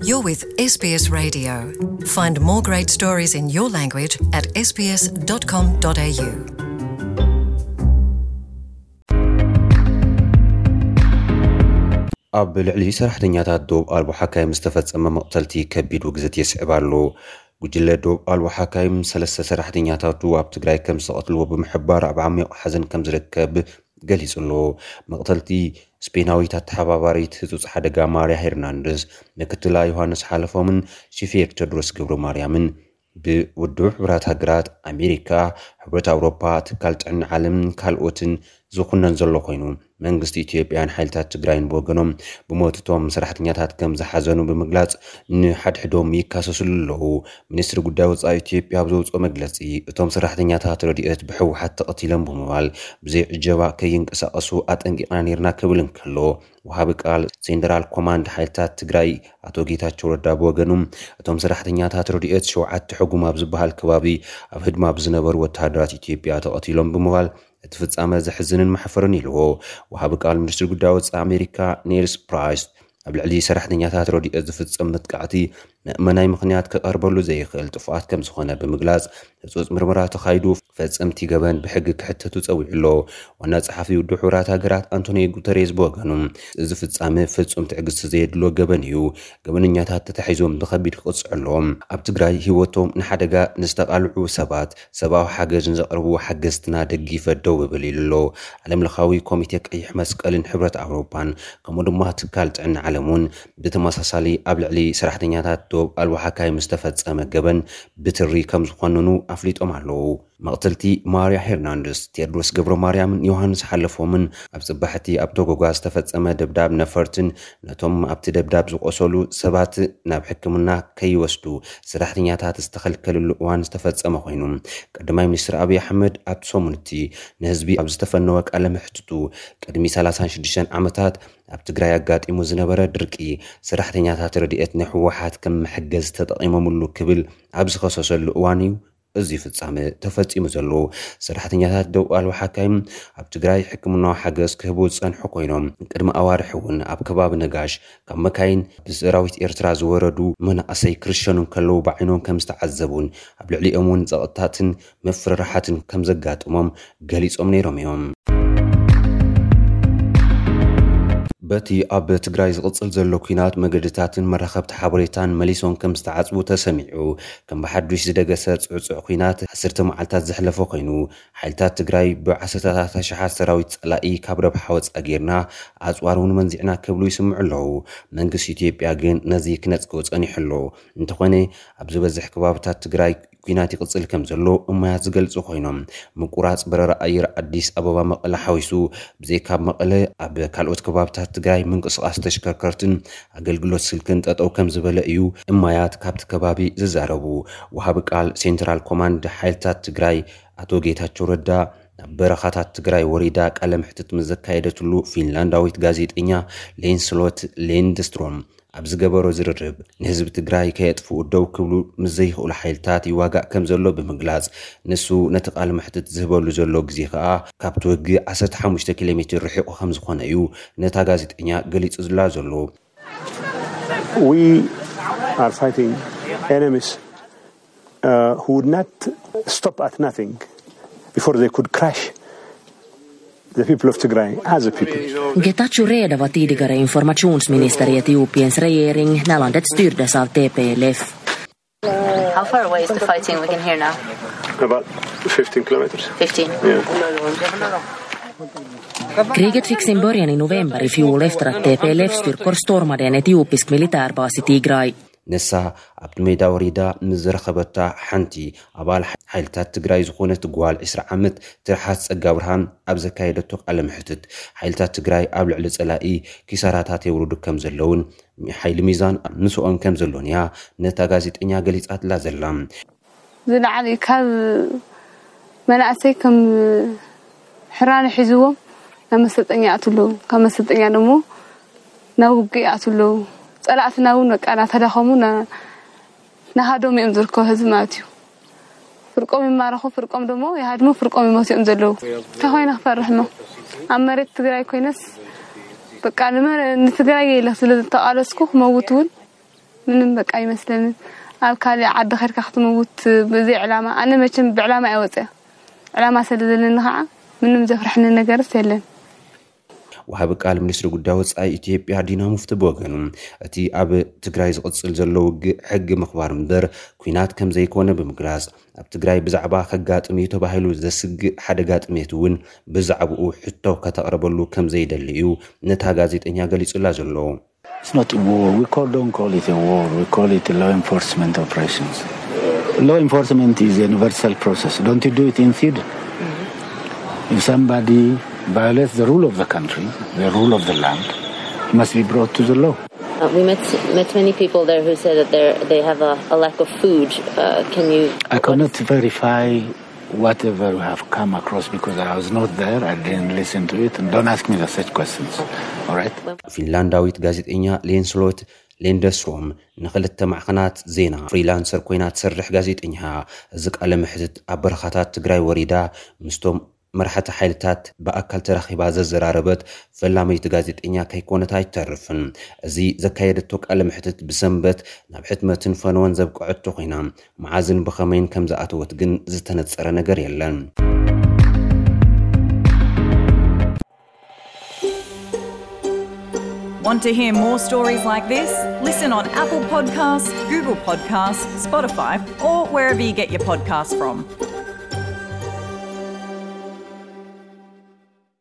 You're with S B S Radio. Find more great stories in your language at S B S dot com dot A U. ኣብ ልዕሊ ሰራሕተኛታት ዶብ ኣልቦ ሓካይም ዝተፈጸመ መቕተልቲ ከቢድ ውግዘት የስዕብ ኣሎ። ጉጅለ ዶብ ኣልቦ ሓካይም ሰለስተ ሰራሕተኛታቱ ኣብ ትግራይ ከም ዝተቐትልዎ ብምሕባር ኣብ ዓሚቕ ሓዘን ከም ዝርከብ ገሊጹ ኣሎ። መቕተልቲ ስፔናዊት ኣተሓባባሪት ህጹጽ ሓደጋ ማርያ ሄርናንደዝ፣ ምክትላ ዮሃንስ ሓለፎምን ሺፌር ቴድሮስ ገብረ ማርያምን ብውድብ ሕቡራት ሃገራት ኣሜሪካ፣ ሕብረት ኣውሮፓ፣ ትካል ጥዕና ዓለምን ካልኦትን ዝኹነን ዘሎ ኮይኑ፣ መንግስቲ ኢትዮጵያን ሓይልታት ትግራይን ብወገኖም ብሞት እቶም ሰራሕተኛታት ከም ዝሓዘኑ ብምግላጽ ንሓድሕዶም ይካሰስሉ ኣለዉ። ሚኒስትሪ ጉዳይ ወጻኢ ኢትዮጵያ ኣብ ዘውፅኦ መግለጺ፣ እቶም ሰራሕተኛታት ረድኤት ብህወሓት ተቐቲሎም ብምባል ብዘይ ዕጀባ ከይንቀሳቐሱ ኣጠንቂቕና ነይርና ክብል እንከሎ፣ ወሃቢ ቃል ሴንትራል ኮማንድ ሓይልታት ትግራይ ኣቶ ጌታቸው ረዳ ብወገኑ፣ እቶም ሰራሕተኛታት ረድኤት ሸውዓተ ሕጉም ኣብ ዝበሃል ከባቢ ኣብ ህድማ ብዝነበሩ ወተሃደራት ኢትዮጵያ ተቐቲሎም ብምባል እቲ ፍጻመ ዘሕዝንን መሕፈርን ኢልዎ። ወሃቢ ቃል ሚኒስትሪ ጉዳይ ወጻኢ ኣሜሪካ ኔልስ ፕራይስ ኣብ ልዕሊ ሰራሕተኛታት ረድኤት ዝፍጸም መጥቃዕቲ መእመናይ ምኽንያት ክቐርበሉ ዘይኽእል ጥፍኣት ከም ዝኾነ ብምግላጽ፣ ህጹጽ ምርመራ ተኻይዱ ፈጸምቲ ገበን ብሕጊ ክሕተቱ ጸዊዑ ኣሎ። ዋና ጸሓፊ ውድብ ሕቡራት ሃገራት ኣንቶኒዮ ጉተሬዝ ብወገኑ፣ እዚ ፍጻመ ፍጹም ትዕግስቲ ዘየድሎ ገበን እዩ፣ ገበነኛታት ተታሒዞም ብኸቢድ ክቕጽዑ ኣለዎም። ኣብ ትግራይ ህይወቶም ንሓደጋ ንዝተቓልዑ ሰባት ሰብኣዊ ሓገዝ ንዘቕርቡ ሓገዝትና ደጊፈ ደው እብል ኢሉ ኣሎ። ዓለምለኻዊ ኮሚቴ ቀይሕ መስቀልን ሕብረት ኣውሮፓን ከምኡ ድማ ትካል ጥዕና ዓለም እውን ብተመሳሳሊ ኣብ ልዕሊ ሰራሕተኛታት ዶብ ኣልቦ ሓካይም ዝተፈጸመ ገበን ብትሪ ከም ዝኾንኑ ኣፍሊጦም ኣለዉ። መቕትልቲ ማርያ ሄርናንደስ፣ ቴድሮስ ገብረ ማርያምን ዮሃንስ ሓለፎምን ኣብ ጽባሕቲ ኣብ ቶጎጋ ዝተፈጸመ ደብዳብ ነፈርትን ነቶም ኣብቲ ደብዳብ ዝቆሰሉ ሰባት ናብ ሕክምና ከይወስዱ ሰራሕተኛታት ዝተኸልከልሉ እዋን ዝተፈጸመ ኮይኑ፣ ቀዳማይ ሚኒስትር ኣብይ ኣሕመድ ኣብቲ ሰሙን እቲ ንህዝቢ ኣብ ዝተፈነወ ቃለ መሕትቱ፣ ቅድሚ ሰላሳን ሽዱሽተን ዓመታት ኣብ ትግራይ ኣጋጢሙ ዝነበረ ድርቂ ሰራሕተኛታት ረድኤት ንህወሓት ከም መሐገዚ ተጠቒሞምሉ ክብል ኣብ ዝኸሰሰሉ እዋን እዩ እዚ ፍጻመ ተፈጺሙ ዘሎ። ሰራሕተኛታት ደው ኣልቦ ሓካይም ኣብ ትግራይ ሕክምናዊ ሓገዝ ክህቡ ዝጸንሑ ኮይኖም፣ ቅድሚ ኣዋርሕ እውን ኣብ ከባቢ ነጋሽ ካብ መካይን ብሰራዊት ኤርትራ ዝወረዱ መናእሰይ ክርሸኑ እንከለዉ ብዓይኖም ከም ዝተዓዘቡን ኣብ ልዕሊኦም እውን ጸቕጥታትን ምፍርራሓትን ከም ዘጋጥሞም ገሊጾም ነይሮም እዮም። በቲ ኣብ ትግራይ ዝቕጽል ዘሎ ኲናት፣ መገድታትን መራኸብቲ ሓበሬታን መሊሶም ከም ዝተዓጽቡ ተሰሚዑ። ከም ብሓዱሽ ዝደገሰ ጽዕጹዕ ኲናት ዓሰርተ መዓልታት ዘሕለፈ ኮይኑ፣ ሓይልታት ትግራይ ብዓሰርተታት ኣሽሓት ሰራዊት ጸላኢ ካብ ረብሓ ወጻኢ ጌርና፣ ኣጽዋር እውን መንዚዕና ክብሉ ይስምዑ ኣለዉ። መንግስቲ ኢትዮጵያ ግን ነዚ ክነጽጎ ጸኒሑ ኣሎ። እንተኾነ፣ ኣብ ዝበዝሕ ከባብታት ትግራይ ኲናት ይቕጽል ከም ዘሎ እማያት ዝገልጹ ኮይኖም፣ ምቁራጽ በረራ ኣየር ኣዲስ ኣበባ መቐለ ሓዊሱ፣ ብዘይካ ኣብ መቐለ፣ ኣብ ካልኦት ከባብታት ትግራይ ምንቅስቓስ ተሽከርከርትን ኣገልግሎት ስልክን ጠጠው ከም ዝበለ እዩ እማያት ካብቲ ከባቢ ዝዛረቡ። ወሃቢ ቃል ሴንትራል ኮማንድ ሓይልታት ትግራይ ኣቶ ጌታቸው ረዳ፣ ናብ በረኻታት ትግራይ ወሪዳ ቃለ መሕትት ምስ ዘካየደትሉ ፊንላንዳዊት ጋዜጠኛ ሌንስሎት ሌንድስትሮም ኣብ ዝገበሮ ዝርርብ፣ ንህዝቢ ትግራይ ከየጥፍኡ ደው ክብሉ ምስ ዘይኽእሉ ሓይልታት ይዋጋእ ከም ዘሎ ብምግላጽ፣ ንሱ ነቲ ቃለ መሕትት ዝህበሉ ዘሎ ግዜ ከኣ ካብቲ ውግእ ዓሰርተ ሓሙሽተ ኪሎ ሜትር ርሒቑ ከም ዝኾነ እዩ ነታ ጋዜጠኛ ገሊጹ ዝላ ዘሎ። We are fighting enemies uh, who would not stop at nothing before they could crush the people of Tigray as a people. Getachew Reda var tidigare informationsminister i Etiopiens regering när landet styrdes av T P L F. How far away is the fighting we can hear now? About fifteen kilometers. fifteen. Yeah. Kriget fick sin början i november i fjol efter att T P L F-styrkor stormade en etiopisk militärbas i Tigray. ንሳ ኣብቲ ሜዳ ወሪዳ ምስ ዝረኸበታ ሓንቲ ኣባል ሓይልታት ትግራይ ዝኾነት ጓል ዕስራ ዓመት ትርሓስ ጸጋ ብርሃን ኣብ ዘካየደቶ ቃለ መሕትት፣ ሓይልታት ትግራይ ኣብ ልዕሊ ጸላኢ ኪሳራታት የውርዱ ከም ዘለውን ሓይሊ ሚዛን ምስኦም ከም ዘሎን እያ ነታ ጋዜጠኛ ገሊጻትላ ዘላ። ዝለዓለ ካብ መናእሰይ ከም ሕራነ ሒዝዎም ናብ መሰልጠኛ ይኣትዉ ኣለዉ። ካብ መሰልጠኛ ደሞ ናብ ውግእ ይኣትዉ ኣለዉ። ጸላእትና እውን በቃ እናተዳኸሙ ና- ናሃዶም እዮም ዝርከቡ ህዝቢ ማለት እዩ። ፍርቆም ይማረኹ፣ ፍርቆም ደሞ ይሃድሙ፣ ፍርቆም ይሞቱ እዮም ዘለዉ። እንታይ ኮይነ ክፈርሕ እሞ ኣብ መሬት ትግራይ ኮይነስ በቃ ንመ- ንትግራይ ኢለ ስለ ዝተቓለስኩ ክመውት እውን ምንም በቃ ኣይመስለንን። ኣብ ካልእ ዓዲ ኸድካ ክትምውት ብዘይ ዕላማ፣ ኣነ መቸም ብዕላማ እየ ወፅያ። ዕላማ ስለ ዘለኒ ከዓ ምንም ዘፍርሐኒ ነገርስ የለን። ወሃቢ ቃል ሚኒስትሪ ጉዳይ ወፃኢ ኢትዮጵያ ዲና ሙፍቲ ብወገኑ፣ እቲ ኣብ ትግራይ ዝቕፅል ዘሎ ውግእ ሕጊ ምኽባር እምበር ኲናት ከም ዘይኮነ ብምግላፅ፣ ኣብ ትግራይ ብዛዕባ ከጋጥም እዩ ተባሂሉ ዘስግእ ሓደጋ ጥሜት እውን ብዛዕባኡ ሕቶ ከተቕርበሉ ከም ዘይደሊ እዩ ነታ ጋዜጠኛ ገሊጹላ ዘሎ። It's not a war. We call, don't call it a war. We call it law enforcement operations. Law enforcement is a universal process. Don't you do it in Sweden? If somebody violates the rule of the country, the rule of the land, he must be brought to the law. Uh, we met met many people there who said that they they have a, a lack of food. Uh, can you? I cannot verify whatever we have come across because I was not there. I didn't listen to it. And don't ask me the such questions. All right. ፊንላንዳዊት ጋዜጠኛ ሌንስሎት ሌንደስሮም ንክልተ ማዕኸናት ዜና ፍሪላንሰር ኮይና ትሰርሕ ጋዜጠኛ፣ እዚ ቃለ መሕትት ኣብ በረኻታት ትግራይ ወሪዳ ምስቶም መራሕቲ ሓይልታት ብኣካል ተራኺባ ዘዘራረበት ፈላመይቲ ጋዜጠኛ ከይኮነት ኣይተርፍን። እዚ ዘካየደቶ ቃለ መሕትት ብሰንበት ናብ ሕትመትን ፈነወን ዘብቅዐቶ ኮይና፣ መዓዝን ብኸመይን ከም ዝኣተወት ግን ዝተነጸረ ነገር የለን። Want to hear more stories like this? Listen on Apple Podcasts, Google Podcasts, Spotify, or wherever you get your podcasts from.